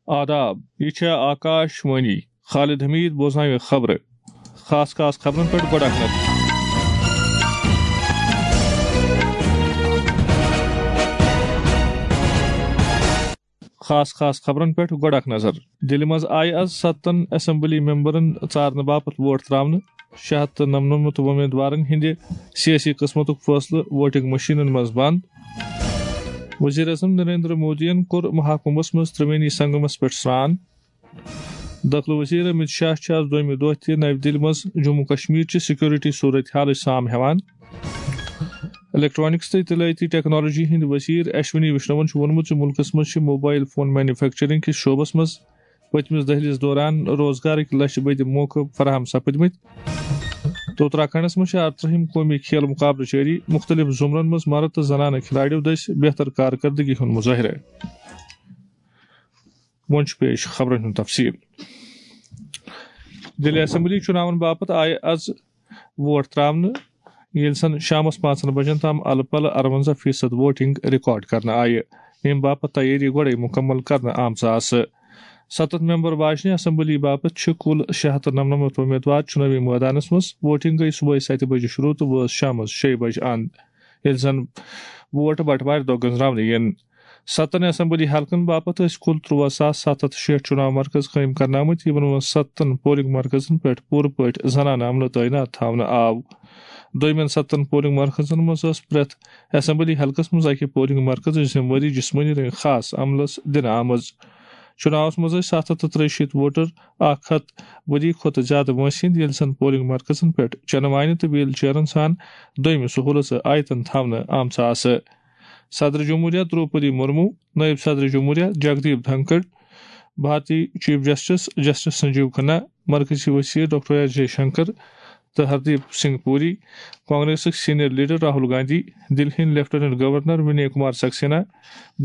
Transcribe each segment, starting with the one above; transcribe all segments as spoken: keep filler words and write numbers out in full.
آداب، یہِ چھےٚ آکاش وانی۔ خالد حمید بوزناوِ خبرٕ۔ خاص خاص خبرن پٮ۪ٹھ گۄڈٕ اکھ نظر۔ خاص خاص خبرن پٮ۪ٹھ گۄڈٕ اکھ نظر۔ دِلہِ منٛز آیہِ از ستن اسمبلی ممبرن ژارنہٕ باپتھ ووٹ تراونہٕ۔ شےٚ ہتھ تہٕ نَمنَمَتھ وۄمیدوارن ہٕنٛدِ سیٲسی قٕسمتُک فٲصلہٕ ووٹنگ مشینن منٛز بند۔ وزیر اعظم نریندر مودیَن کوٚر مہاکمبھس منٛز ترٛوینی سنگمس پٮ۪ٹھ سرٛان۔ دٲخلہٕ وزیر امت شاہ چھُ از دوٚیمہِ دۄہ تہِ نَوِ دِلہِ منٛز جموں کشمیر چہِ سیکورٹی صورت حالٕچ سام ہٮ۪وان۔ الیکٹرانکس تہٕ اطلاعاتی ٹیکنالوجی ہٕنٛدۍ وزیر اشونی وشنون چھُ ووٚنمُت زِ مُلکس منٛز چھِ موبائل فون مینوفیکچرنگ کِس شعبس منٛز پٔتمِس دٔہلِس دوران روزگارٕکۍ لچھِ بٔدۍ موقعہٕ فراہم سپٕدمٕتۍ۔ تہٕ اتراکھنڈس منٛز چھِ ارترٛہِم قومی کھیل مقابلہٕ جٲری، مختلف زمرن منٛز مرد تہٕ زنانہٕ کھلاڑیو دٔسۍ بہتر کارکردگی ہُنٛد مظٲہرٕ۔ وۄنۍ چھُ پیش خبرن ہُنٛد تفصیل۔ دِلہِ اسمبلی چُناون باپتھ آیہِ از ووٹ تراونہٕ، ییٚلہِ زن شامس پانٛژن بجن تام الہٕ پلہٕ ارونزہ فیصد ووٹنگ ریکارڈ کرنہٕ آیہِ، ییٚمہِ باپتھ تیٲری گۄڈے مُکمل کرنہٕ آمژٕ آسہٕ۔ ستتھ ممبر واجنہِ اسمبلی باپتھ چھِ کُل شےٚ ہتھ تہٕ نَمنَمَتھ وۄمیدوار چُنٲوی مٲدانس منٛز۔ ووٹنگ گٔیہِ صبحٲے ستہِ بجہِ شروع تہٕ وٲژ شامس شیٚیہِ بجہِ اند، ییٚلہِ زن ووٹ بٹوارِ دۄہ گٔنزراونہٕ یِن۔ ستن اسمبلی حلقن باپتھ ٲسۍ کُل ترٛوواہ ساس ستھ ہتھ شیٹھ چُناو مرکز قٲیِم کرنہٕ آمٕتۍ، یِمن منٛز ستن پولنگ مرکزن پٮ۪ٹھ پوٗرٕ پٲٹھۍ زنانہٕ عملہٕ تعینات تھاونہٕ آو۔ دوٚیمٮ۪ن ستن پولنگ مرکزن منٛز ٲس پرٛٮ۪تھ اسمبلی حلقس منٛز اکہِ پولنگ مرکزٕچ ذمہٕ وٲری جسمٲنی رنگہٕ خاص عملس دِنہٕ آمٕژ۔ چُناوس منٛز ٲسۍ ستھ ہتھ تہٕ ترٛیہِ شیٖتھ ووٹر، اکھ ہتھ ؤری کھۄتہٕ زیادٕ وٲنٛسہِ ہٕنٛدۍ، ییٚلہِ زن پولنگ مرکزن پٮ۪ٹھ چٮ۪نہٕ وانہِ تہٕ ویل چیئرن سان دوٚیمہِ سہوٗلژٕ آیتن تھاونہٕ آمژٕ آسہٕ۔ صدر جمہوریہ دروپدی مرمو، نائب صدر جمہوریہ جگدیپ دھنکڑ، بھارتی چیف جسٹس جسٹس سنجیو کھنا، مرکزی وزیر ڈاکٹر ایس جے شنکر تہٕ ہردیپ سنگھ پوری، کانگریسٕکۍ سینئر لیڈر راہل گاندھی، دِلہِ ہٕنٛدۍ لیفٹیننٹ گورنر ونی کمار سکسینا،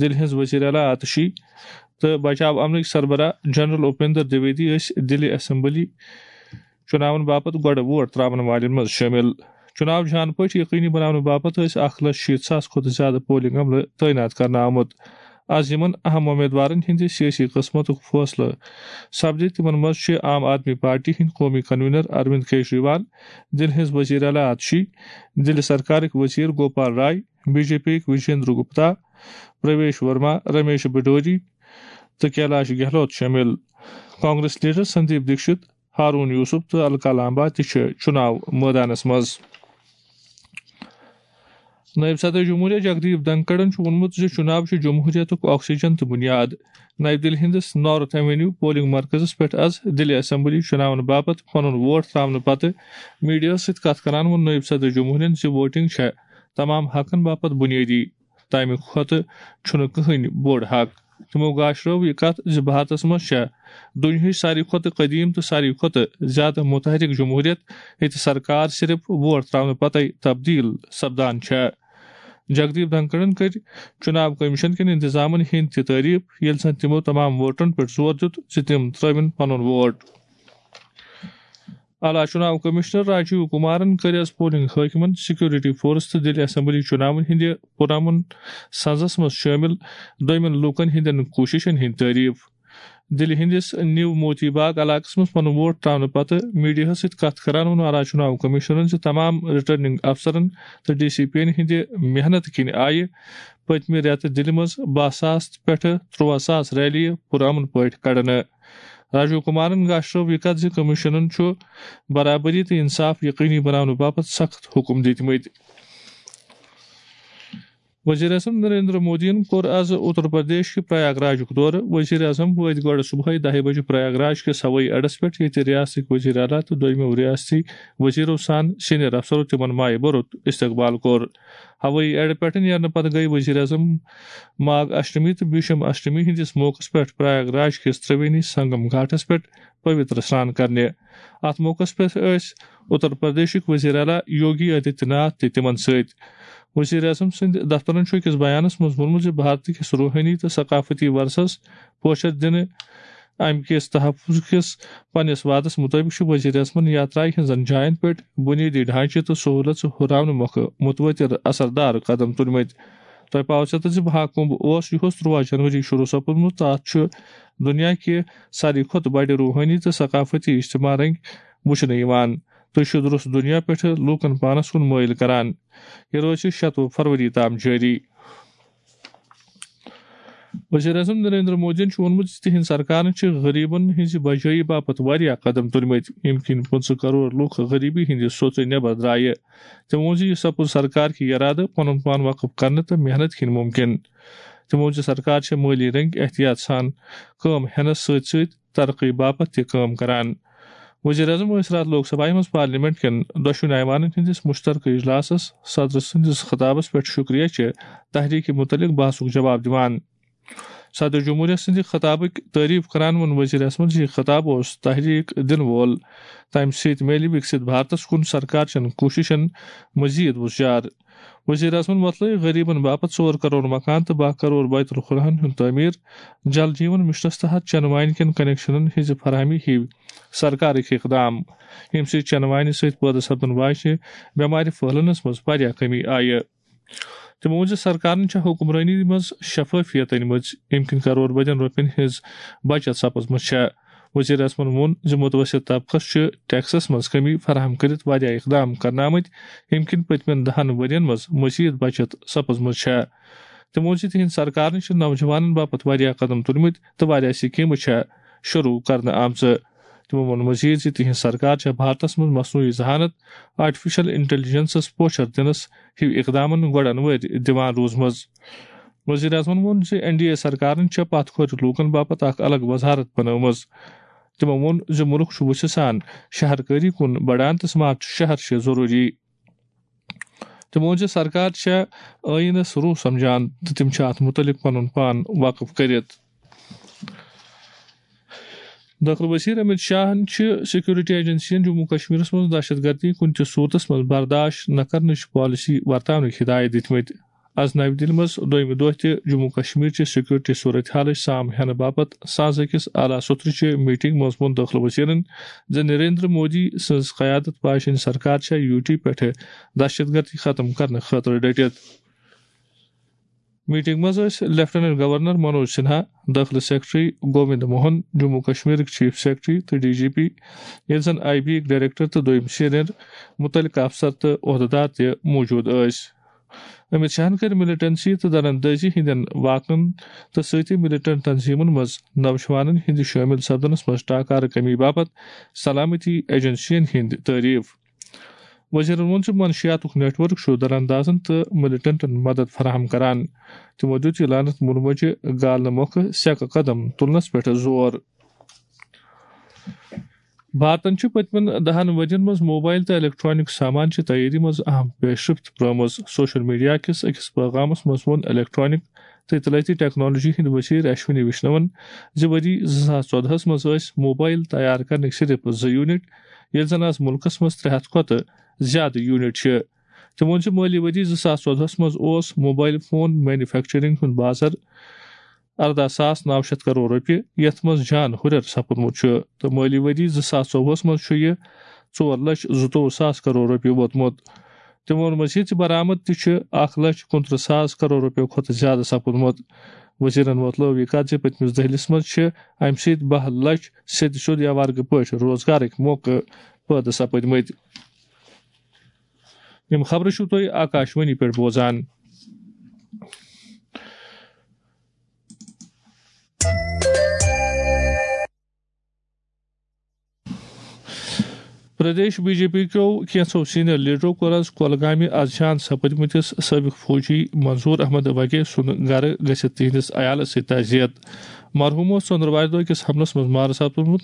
دِلہِ ہٕنٛز وزیر اعلیٰ آتشی تہٕ بچاو امنٕکۍ سربراہ جنرل اپیندر دویدی ٲسۍ دِلہِ اسمبلی چُناون باپتھ گۄڈٕ ووٹ تراون والٮ۪ن منٛز شٲمِل۔ چُناو جان پٲٹھۍ یقینی بناونہٕ باپتھ ٲسۍ اکھ لچھ شیٖتھ ساس کھۄتہٕ زیادٕ پولنگ عملہٕ تعینات کرنہٕ آمُت۔ از یِمن اہم وۄمیدوارن ہٕنٛدِ سیٲسی قٕسمتُک فٲصلہٕ سپدِ، تِمن منٛز چھِ عام آدمی پارٹی ہٕنٛدۍ قومی کنوینر اروند کیجریوال، دِلہِ ہٕنٛز وزیر اعلیٰ آتشی، دِلہِ سرکارٕکۍ وزیر گوپال رائے، بی جے پی یِکۍ وجیندر گپتا، پرویش ورما، رمیش بڈوری تہٕ کیلاش گہلوت شٲمِل۔ کانگریس لیڈر سندیپ دیکشت، ہارون یوسف تہٕ الکا لامبا تہِ چھِ چُناو مٲدانس منٛز۔ نٲیِب صدر جمہوریہ جگدیپ دھنکڑَن چھُ ووٚنمُت زِ چُناو چھُ جمہوریتُک آکسیجن تہٕ بُنیاد۔ نَیہِ دِلہِ ہٕنٛدِس نارتھ ایونیو پولنگ مرکزَس پٮ۪ٹھ آز دِلہِ اسمبلی چُناون باپتھ پنُن ووٹ ترٛاونہٕ پتہٕ میڈیاہَس سۭتۍ کَتھ کران ووٚن نٲیِب صدر جمہوریہَن زِ ووٹنگ چھےٚ تمام حقن باپتھ بُنیٲدی۔ تَمہِ کھۄتہٕ چھُنہٕ کٕہٕنۍ بوٚڑ حق۔ تِمو گاشرٲو یہِ کتھ زِ بھارتس منٛز چھےٚ دُنیاہٕچ ساروی کھۄتہٕ قدیم تہٕ ساروی کھۄتہٕ زیادٕ متحرک جمہوریت، ییٚتہِ سرکار صرف ووٹ تراونہٕ پتے تبدیل سپدان چھےٚ۔ جگدیپ دھنکڑن کٔر چُناو کمیشن کٮ۪ن انتظامن ہٕنٛدۍ تہِ تعریف، ییٚلہِ زن تِمو تمام ووٹرن پٮ۪ٹھ زور دیُت زِ تِم ترٲوِن پنُن ووٹ۔ اعلیٰ چُناو کمشنر راجیو کمارن کٔر از پولنگ حٲکمن، سیکورٹی فورس تہٕ دِلہِ اسمبلی چُناون ہٕنٛدِ پُرامن سنزس منٛز شٲمِل دوٚیمٮ۪ن لوٗکن ہٕنٛدٮ۪ن کوٗششن ہٕنٛدۍ تعریف۔ دِلہِ ہٕنٛدِس نیو موتی باغ علاقس منٛز پنُن ووٹ ترٛاونہٕ پتہٕ میڈیاہس سۭتۍ کتھ کران ووٚن اعلیٰ چُناو کمشنرن زِ تمام ریٹرننگ افسرن تہٕ ڈی سی پی ین ہٕنٛدِ محنتہٕ کِنۍ آیہِ پٔتمہِ رٮ۪تہٕ دِلہِ منٛز باہ ساس پٮ۪ٹھٕ ترٛوواہ ساس ریلیہِ پُرامن پٲٹھۍ کڑنہٕ۔ راجیو کمارن گاشرٲو یہِ کتھ زِ کمیشنن چھُ برابری تہٕ انصاف یقینی بناونہٕ باپتھ سخت حکم دِتمٕتۍ۔ وزیر اعظم نریندر مودیَن کوٚر از اتر پردیش کہِ پریاگ راجُک دورٕ۔ وزیر اعظم وٲتۍ گۄڈٕ صبحٲے دَہہِ بجہِ پریاگ راج کِس ہوٲیی اڈس پٮ۪ٹھ، ییٚتہِ ریاستٕکۍ وزیر اعلیٰ تہٕ دوٚیمٮ۪و ریاستی وزیرو سان سینئر افسرو تِمن مایہِ بھرُت استقبال کوٚر۔ ہوٲیی اڈٕ پٮ۪ٹھٕ نیرنہٕ پتہٕ گٔیہِ وزیر اعظم ماگ اشٹمی تہٕ بھیشم اشٹمی ہٕنٛدِس موقعس پٮ۪ٹھ پریاگ راج کِس ترٛوینی سنگم گھاٹس پٮ۪ٹھ پویتر سران کرنہِ۔ اتھ موقعس پٮ۪ٹھ ٲسۍ اتر پردیشٕکۍ وزیر اعلیٰ یوگی آدتیہ ناتھ تہِ تِمن سۭتۍ۔ وزیر اعظم سٕنٛدِ دفترن چھُ أکِس بیانس منٛز ووٚنمُت زِ بھارت کِس روحٲنی تہٕ ثقافتی ورثس پوچھر دِنہٕ امہِ کِس تحفظ کِس پننِس وعدس مُطٲبِق چھُ وزیر اعظمن یاترایہِ ہٕنٛزن جاین پٮ۪ٹھ بُنیٲدی ڈھانچہٕ تہٕ سہوٗلژٕ ہُراونہٕ مۄکھٕ متوٲتِر اثردار قدم تُلمٕتۍ۔ تۄہہِ پاوٕ ژےٚ تہٕ زِ بہا کُنبھ اوس یُہُس تُرٛواہ جنوری شروع سپُدمُت۔ تَتھ چھُ دُنیا کہِ ساروی کھۄتہٕ بَڑِ روحٲنی تہٕ ثقافتی اجتماع رٔنٛگۍ وٕچھنہٕ یِوان۔ تہٕ چھُ درست دُنیا پٮ۪ٹھٕ لوٗکَن پانَس کُن مٲیِل کران۔ یہِ روزِ شَتوُہ فروری تام جٲری۔ وزیر اعظم نریندر مودیَن چھُ ووٚنمُت زِ تِہنٛز سرکارن چھِ غریبن ہٕنٛزِ بجٲیی باپتھ واریاہ قدم تُلمٕتۍ، ییٚمہِ کِنۍ پٕنٛژٕہ کرور لوٗکھ غریبی ہٕنٛدِ سوژے نٮ۪بر درٛایہِ۔ تٔمۍ ووٚن زِ یہِ سپُد سرکار کہِ یرادٕ پنُن پان وقف کرنہٕ تہٕ محنت کِنۍ مُمکِن۔ تٔمۍ ووٚن زِ سرکار چھےٚ مٲلی رٔنٛگۍ احتیاط سان کٲم ہٮ۪نس سۭتۍ سۭتۍ ترقی باپتھ تہِ کٲم کران۔ وزیر اعظم ٲسۍ راتھ لوک سبھایہ منٛز پارلیمنٹ کٮ۪ن دۄشوٕنی ایوانن ہٕنٛدِس مشترکہ اجلاسس صدر سٕنٛدِس خطابس پٮ۪ٹھ شکریہ چہِ تحریٖکہِ متعلق بحثُک جواب دِوان۔ صدر جمہوریہ سٕنٛدِ خطابٕکۍ تعریف کران ووٚن وزیر اعظمن زِ یہِ خطاب اوس تحریک دِنہٕ وول، تَمہِ سۭتۍ میلہِ وِکسِت بھارتس کُن سرکار چٮ۪ن کوٗششن مزید وُژجار۔ وزیر اعظمن وۄتلٲوۍ غریبن باپتھ ژور کرور مکان تہٕ باہ کرور بیت الخلاہن ہُنٛد تعمیٖر، جل جیون مشنس تحت چٮ۪نہٕ وانہِ کٮ۪ن کنیکشنن ہٕنٛزِ فراہمی ہِوۍ سرکارٕکۍ اقدام، ییٚمہِ سۭتۍ چٮ۪نہٕ وانہِ سۭتۍ پٲدٕ سپدن واجنہِ بٮ۪مارِ پھٔہلنس منٛز واریاہ کمی آیہِ۔ تٔمۍ ووٚن زِ سرکارن چھےٚ حکمرٲنی منٛز شفٲفیت أنمٕژ، ییٚمہِ کِنۍ کرور بٔدین رۄپین ہٕنٛز بچت سپٕزمٕژ چھےٚ۔ وزیر اعظمن ووٚن زِ متوسط طبقس چھِ ٹیکسس منٛز کمی فراہم کٔرِتھ واریاہ اقدام کرنہٕ آمٕتۍ، ییٚمہِ کِنۍ پٔتمٮ۪ن دہن ؤرین منٛز مزید بچت سپٕزمٕژ چھےٚ۔ تٔمۍ ووٚن زِ تِہنٛز سرکارن چھِ نوجوانن باپتھ واریاہ قدم تُلمٕتۍ تہٕ واریاہ سکیمہٕ چھےٚ شروع کرنہٕ آمژٕ۔ تِمو ووٚن مزید زِ تِہنٛز سرکار چھےٚ بھارتس منٛز مصنوعی ذہانت، آرٹیفیشل انٹیلیجنسس پوچھر دِنس ہِوۍ اقدامن گۄڈن وٲرۍ دِوان روٗزمٕژ۔ وزیر اعظمن ووٚن زِ این ڈی اے سرکارن چھےٚ پتھ کھورِ لوٗکن باپتھ اکھ الگ وزارت بنٲومٕژ۔ تِمو ووٚن زِ مُلک چھُ وُژھِ سان شہر کٲری کُن بڑان تہٕ سمارٹ شہر چھِ ضروٗری۔ تِمو ووٚن زِ سرکار چھےٚ ٲیٖنس روح سمجھان تہٕ تِم چھِ اتھ مُتعلق پنُن پان وقف کٔرِتھ۔ دٲخلہٕ وزیر امت شاہن چھِ سیکورٹی ایجنسین جموں کشمیرس منٛز دہشت گردی کُنہِ تہِ صوٗرتس منٛز برداشت نہٕ کرنٕچ پالیسی ورتاونٕکۍ ہدایت دِتمٕتۍ۔ از نَوِ دِلہِ منٛز دوٚیمہِ دۄہ تہِ جموں کشمیر چہِ سیکورٹی صورت حالٕچ سام ہٮ۪نہٕ باپتھ سانز أکِس اعلیٰ سطرٕچہِ میٹنگ منٛز ووٚن دٲخلہٕ وزیرن زِ نریندر مودی سٕنٛز قیادت واجیٚنۍ سرکار چھےٚ یوٗ ٹی پٮ۪ٹھٕ دہشت گردی ختم کرنہٕ خٲطرٕ ڈٔٹِتھ۔ میٹنگ منٛز ٲسۍ لیفٹیننٹ گورنر منوج سنہا، دٲخلہٕ سیکرٹری گووند موہن، جموں کشمیرٕکۍ چیف سیکرٹری تہٕ ڈی جی پی، ییٚلہِ زن آئی بی یِکۍ ڈائریکٹر تہٕ دوٚیِم سینئر مُتعلقہٕ افسر تہٕ عہدٕدار تہِ موجود ٲسۍ۔ امت شاہن کٔرۍ ملیٹنسی تہٕ دراندازی ہٕنٛدٮ۪ن واقعن تہٕ سۭتی ملیٹنٹ تنظیمن منٛز نوجوانن ہٕنٛدِ شٲمِل سپدنس منٛز ٹاکارٕ کمی باپتھ سلامتی ایجنسین ہٕنٛدۍ تعریف۔ وزیرن ووٚن زِ منشیاتُک نیٹ ورک چھُ دراندازن تہٕ ملیٹنٹن مدد فراہم کران۔ تِمو دِیُت یہِ لعنت مُلموجہِ گالنہٕ مۄکھٕ سیکہٕ قدم تُلنس پٮ۪ٹھ زور۔ بھارتن چھِ پٔتمٮ۪ن دَہن ؤرین منٛز موبائل تہٕ الیکٹرانک سامان چہِ تیٲری منٛز اہم پیشرفت ترٲومٕژ۔ سوشل میڈیا کِس أکِس پیغامس منٛز ووٚن الیکٹرانک تہٕ اطلاعاتی ٹیکنالوجی ہٕنٛدۍ وزیر اشونی ویشنون زِ ؤری زٕ ساس ژۄدہَس منٛز ٲسۍ موبائل تیار کرنٕکۍ صرف زٕ یونٹ، ییٚلہِ زن از مُلکس منٛز ترٛےٚ ہتھ کھۄتہٕ زیادٕ یونٹ چھِ۔ تٔمۍ ووٚن زِ مٲلی ؤری زٕ ساس ژۄدہَس منٛز اوس موبائل فون مینوفیکچرنگ ہُنٛد بازر ارداہ ساس نو شیٚتھ کرور رۄپیہِ، یَتھ منٛز جان ہُرٮ۪ر سپُدمُت چھُ، تہٕ مٲلی ؤری زٕ ساس ژۄوُہَس منٛز چھُ یہِ ژور لچھ زٕتووُہ ساس کرور رۄپیہِ ووتمُت۔ تٔمۍ ووٚن مزید زِ برآمد تہِ چھُ اکھ لچھ کُنترٕہ ساس کرور رۄپیو کھۄتہٕ زیادٕ سپُدمُت۔ وزیرن وۄتلٲو یہِ کتھ زِ پٔتمِس دٔہلِس منٛز چھِ امہِ سۭتۍ باہ لچھ سیٚدِ سیوٚد یا ورگہٕ پٲٹھۍ روزگارٕکۍ موقعہٕ پٲدٕ سپٕدمٕتۍ۔ یِم خبرٕ چھِو تُہۍ آکاشوانی پٮ۪ٹھ بوزان۔ پردیش بی جے پی کیو کینٛژھو سینئر لیڈرو کوٚر آز کۄلگامہِ از جان سپدمٕتِس سٲبق فوجی منظور احمد وگے سُنٛد گرٕ گٔژھِتھ تِہنٛدِس عیالس سۭتۍ تعزیت۔ مرحوم اوس ژٔنٛدٕروارِ دۄہ أکِس حملس منٛز مارٕ سپدمُت،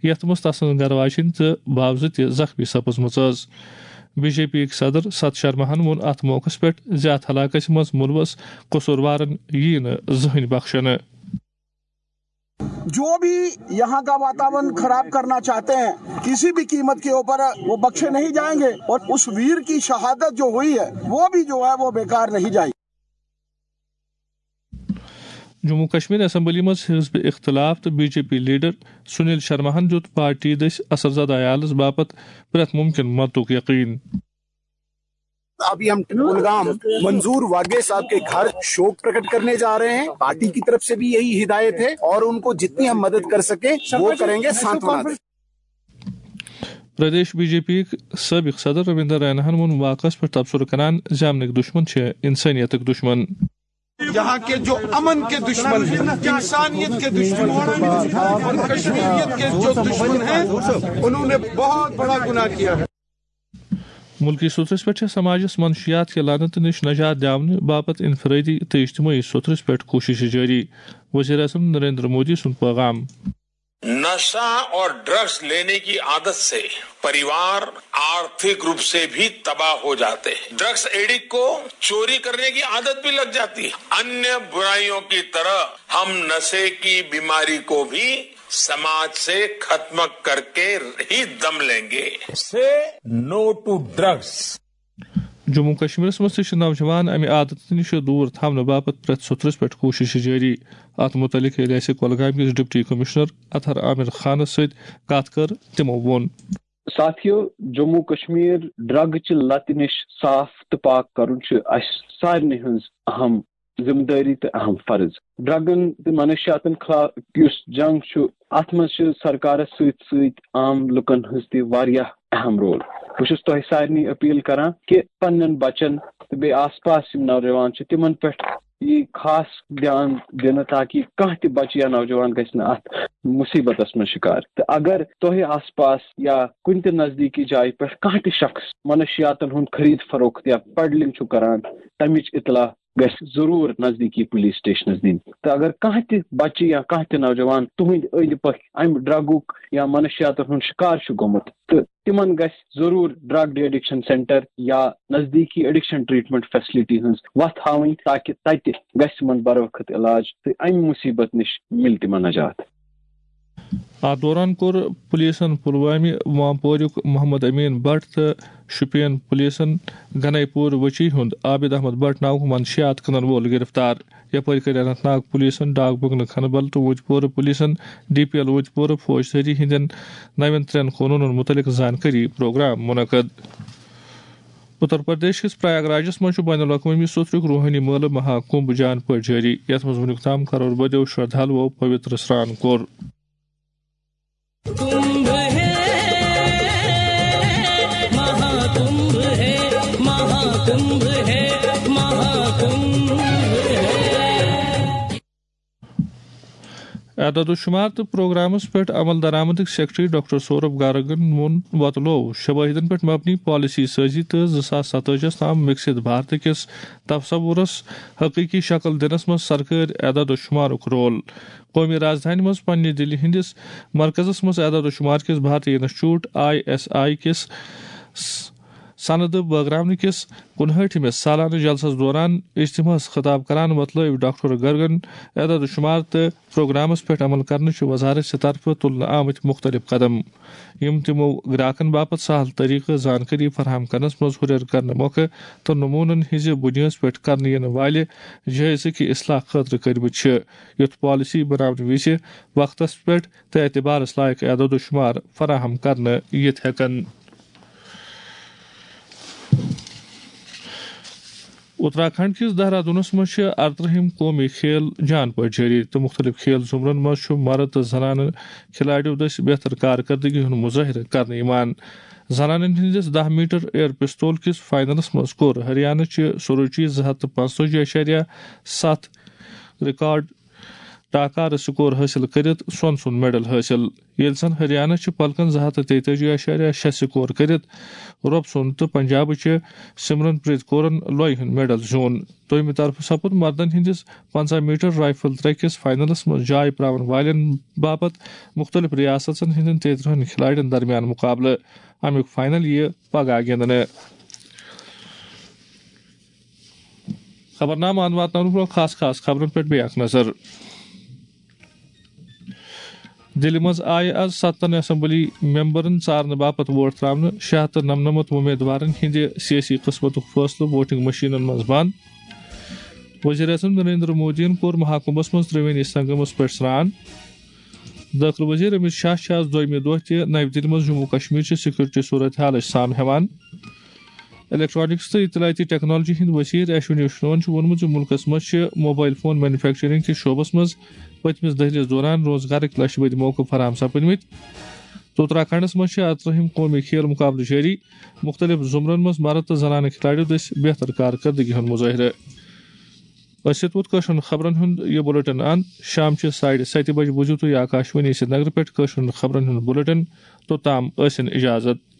یتھ منٛز تسٕنٛز گرٕ واجیٚنۍ تہٕ بھاوزٕ تہِ زخمی سپٕزمٕژ ٲس۔ بی جے پی یِکۍ صدر ست شرماہن ووٚن اتھ موقعس پٮ۪ٹھ زِ اتھ علاقس منٛز مُلوث قصوٗروارن یِیہِ نہٕ زٕہٕنۍ بخشنہٕ۔ जो भी यहाँ का वातावरण खराब करना चाहते हैं, किसी भी कीमत के ऊपर वो बख्शे नहीं जाएंगे और उस वीर की शहादत जो हुई है, वो भी जो है, वो बेकार नहीं जाएगी। جموں کشمیر اسمبلی منٛز حزب اختلاف تہٕ B J P leader Sunil شرماہن دیُت پارٹی دٔسۍ اثر زدہ عیالس باپتھ پرٛٮ۪تھ مُمکِن مدتُک یقین۔ अभी हम कुलगाम मंजूर वागे साहब के घर शोक प्रकट करने जा रहे हैं। पार्टी की तरफ से भी यही हिदायत है और उनको जितनी हम मदद कर सकें, वो करेंगे। सांत्वना दें। پردیش بی جے پی یِک سٲبِق صدر رابندر ریناہن ووٚن واقعس پٮ۪ٹھ تبصرٕ کران زِ امنٕکۍ دُشمن چھِ انسٲنیتٕکۍ دُشمن۔ یہاں کے جو امن کے دشمن ہیں، انسانیت کے دشمن ہیں اور کشمیریت کے جو دشمن ہیں، انہوں نے بہت بڑا گناہ کیا ہے۔ مُلکی سوٚتھرِس پٮ۪ٹھ چھےٚ سماجس منشیات کہِ لعنتہٕ نِش نجات دِیاونہٕ باپتھ انفرٲدی تہٕ اجتمٲعی سوٚتھرِس پٮ۪ٹھ کوٗششہٕ جٲری، وزیر اعظم نریندر مودی سُنٛد پیغام۔ नशा और ड्रग्स लेने की आदत से परिवार आर्थिक रूप से भी तबाह हो जाते हैं। ड्रग्स एडिक्ट को चोरी करने की आदत भी लग जाती है। अन्य बुराइयों की तरह हम नशे की बीमारी को भी समाज से खत्म करके ही दम लेंगे। Say no to drugs। Jammu و کشمیرس منٛز تہِ چھِ نوجوان امہِ عادتہٕ نِش دوٗر تھاونہٕ باپتھ پرٛٮ۪تھ سوٚتھرس پٮ۪ٹھ کوٗشش جٲری۔ اتھ مُتعلق ییٚلہِ اَسہِ کۄلگامہِ کِس ڈپٹی کمشنر اطہر عامر خانس سۭتۍ کتھ کٔر، تِمو ووٚن۔ ساتھیو، جموں و کشمیر ڈرگ چہِ لتہِ نِش صاف تہٕ پاک کرُن چھُ اسہِ سارنٕے ہٕنٛز اہم ذمہٕ دٲری تہٕ اہم فرض۔ ڈرگن تہٕ منشیاتن خلاف یُس جنگ چھُ، اتھ منٛز چھِ سرکارس سۭتۍ سۭتۍ عام لُکن ہٕنٛز تہِ واریاہ اہم رول۔ بہٕ چھُس تۄہہِ سارنٕے اپیل کران کہِ پننٮ۪ن بچن تہٕ بیٚیہِ آس پاس یِم نوجوان چھِ، تِمن پٮ۪ٹھ یی خاص دیان دِنہٕ، تاکہِ کانٛہہ تہِ بچہٕ یا نوجوان گژھِ نہٕ اتھ مُصیبتس منٛز شِکار۔ تہٕ اگر تۄہہِ آس پاس یا کُنہِ تہِ نزدیٖکی جایہِ پٮ۪ٹھ کانٛہہ تہِ شخص منشیاتن ہُنٛد خرید فروخت یا پیڈلنگ چھُ کران، تمِچ اطلاع گژھِ ضروٗر نزدیٖکی پُلیٖس سٹیشنَس دِنۍ۔ تہٕ اگر کانٛہہ تہِ بچہٕ یا کانٛہہ تہِ نوجوان تُہٕنٛدِ أنٛدۍ پٔکھۍ اَمہِ ڈرگُک یا منشیاتَن ہُنٛد شِکار چھُ گوٚمُت، تہٕ تِمن گژھِ ضروٗر ڈرگ ڈی ایڈکشن سینٹر یا نزدیٖکی ایڈکشن ٹریٹمنٹ فیسلٹی ہٕنٛز وَتھ ہاوٕنۍ، تاکہِ تَتہِ گژھِ تِمن بروقت علاج تہٕ اَمہِ مُصیبت نِش مِلہِ تِمن نجات۔ اتھ دوران کوٚر پُلیٖسن پُلوامہِ وامپوریُک محمد امین بٹ تہٕ شُپین پُلیٖسن گنائی پوٗر وچی ہُنٛد عابد احمد بٹ ناوُک منشیات کٕنن وول گِرفتار۔ یپٲرۍ کٔرۍ اننت ناگ پُلیٖسن، ڈاک بنگلہٕ کھنہٕ بل تہٕ وُتۍ پورٕ پُلیٖسن ڈی پی ایل وُتۍ پورٕ فوجدٲری ہٕنٛدٮ۪ن نوٮ۪ن ترٛٮ۪ن قونوٗنن مُتعلق زانکٲری پروگرام منعقد۔ اُتر پردیش کِس پریاگ راجس منٛز چھُ بین الاقوٲمی سوٚتھرُک روحٲنی مٲلہٕ مہا کُمبھ جان پٲٹھۍ جٲری، یتھ منٛز وُنیُک تام کرور بدیو شردھالوو پویتر سران کوٚر۔ اعداد و شمار تہٕ پروگرامس پٮ۪ٹھ عمل درآمدٕکۍ سیکرٹری ڈاکٹر سورب گارگن ووٚن، وۄتلوو شوٲہدن پٮ۪ٹھ مبنی پالیسی سٲزی تہٕ زٕ ساس ستٲجی ہس تام وِکسِت بھارت کِس تصورس حقیقی شکل دِنس منٛز سرکٲرۍ اعداد و شمارُک رول۔ قومی رازدانہِ منٛز پننہِ دِلہِ ہٕنٛدِس مرکزس منٛز اعداد و شمار کِس بھارتی انسٹیٹیوٹ آئی ایس آئی کِس س-، سند بٲگراونہٕ کِس کُنہٲٹھمِس سالانہٕ جلسس دوران اجتماعس خطاب کران وۄتلٲوۍ ڈاکٹر گرگن اعداد و شمار تہٕ پروگرامس پٮ۪ٹھ عمل کرنہٕ چہِ وزارت چہِ طرفہٕ تُلنہٕ آمٕتۍ مُختٔلِف قدم، یِم تِمو گراکن باپتھ سہل طریقہٕ زانکٲری فراہم کرنس منٛز ہُرٮ۪ر کرنہٕ مۄکھٕ تہٕ نموٗنن ہٕنٛزِ بُنیٲدس پٮ۪ٹھ کرنہٕ یِنہٕ والہِ جٲیزٕ کہِ اصلاح خٲطرٕ کٔرمٕتۍ چھِ، یُتھ پالیسی بناونہٕ وِزِ وقتس پٮ۪ٹھ تہٕ اعتبارس لایق اعداد و شمار فراہم کرنہٕ یِتھ ہٮ۪کن۔ اتراکھنڈ کِس دہرادونس منٛز چھِ ارترٕہِم قومی کھیل جان پٲٹھۍ جٲری تہٕ مُختٔلِف کھیل زُمرن منٛز چھُ مرد تہٕ زنانہٕ کھلاڑیو دٔسۍ بہتر کارکردگی ہُنٛد مظٲہرٕ کرنہٕ یِوان۔ زنانن ہٕنٛدِس دَہ میٹر ایئر پسٹول کِس فائنلس منٛز کوٚر ہریانہ چہِ سروچی زٕ ہتھ تہٕ پانٛژتٲجی اعشاریہ ستھ ریکارڈ ٹاکارٕ سکور حٲصِل کٔرِتھ سۄن سُنٛد میڈل حٲصِل، ییٚلہِ زن ہریانہ چہِ پلکن زٕ ہتھ تہٕ تیتٲجی اعشاریہ شےٚ سکور کٔرِتھ رۄپ سُنٛد تہٕ پنجابہٕ چہِ سمرن پریت کورن لۄیہِ ہُنٛد میڈل زیوٗن۔ دوٚیمہِ طرفہٕ سپُد مردن ہٕنٛدِس پنٛژاہ میٹر رائفل ترٛےٚ کِس فائنلس منٛز جاے پراون والٮ۪ن باپتھ مُختٔلِف ریاستن ہٕنٛدٮ۪ن تیترٕہن کھلاڑٮ۪ن درمیان مُقابلہٕ۔ امیُک فائنل یِیہِ پگاہ گِنٛدنہٕ۔ خبرنامہٕ اَنہٕ واتناونہٕ برٛونٛہہ خاص خاص خبرن پٮ۪ٹھ بیٚیہِ اکھ نظر۔ دِلہِ منٛز آیہِ آز ستن اسمبلی ممبرن ژارنہٕ باپتھ ووٹ ترٛاونہٕ، شےٚ ہتھ تہٕ نمنمتھ وۄمیدوارن ہٕنٛدِ سیٲسی قٕسمتُک فٲصلہٕ ووٹنگ مشینن منٛز بنٛد۔ وزیر اعظم نریندر مودیَن کوٚر مہاکُمبھس منٛز ترٛےٚ وٕنی سنگمس پٮ۪ٹھ سرٛان۔ دٲخلہٕ وزیر امت شاہ چھِ آز دوٚیمہِ دۄہ تہِ نَوِ دِلہِ منٛز جموں و کشمیر چہِ سیکورٹی صورت حالٕچ سام ہٮ۪وان۔ الیکٹرانکس تہٕ اطلاعاتی ٹیکنالوجی ہٕنٛدۍ وزیر اشونی اشنون چھُ ووٚنمُت زِ مُلکس منٛز چھِ موبائل فون مینوفیکچرنگ کِس شعبس منٛز پٔتمِس دٔہلِس دوران روزگارٕکۍ لچھ بٔدۍ موقعہٕ فراہم سپٕدمٕتۍ۔ تہٕ اتراکھنڈس منٛز چھِ اترٲہِم قومی کھیل مقابلہٕ جٲری، مُختٔلِف زمرن منٛز مرد تہٕ زنانہٕ کھلاڑیو دٔسۍ بہتر کارکردگی ہُنٛد مظٲہرٕ۔ أسۍ یِتھ پٲٹھۍ کٲشرٮ۪ن خبرن ہُنٛد یہِ بُلٹن اند۔ شام چہِ ساڑِ ستہِ بجہِ بوٗزِو تُہۍ آکاشوانی سرینگرٕ پٮ۪ٹھ کٲشرٮ۪ن خبرن ہُنٛد بُلٹن۔ توٚتام ٲسِن اجازت۔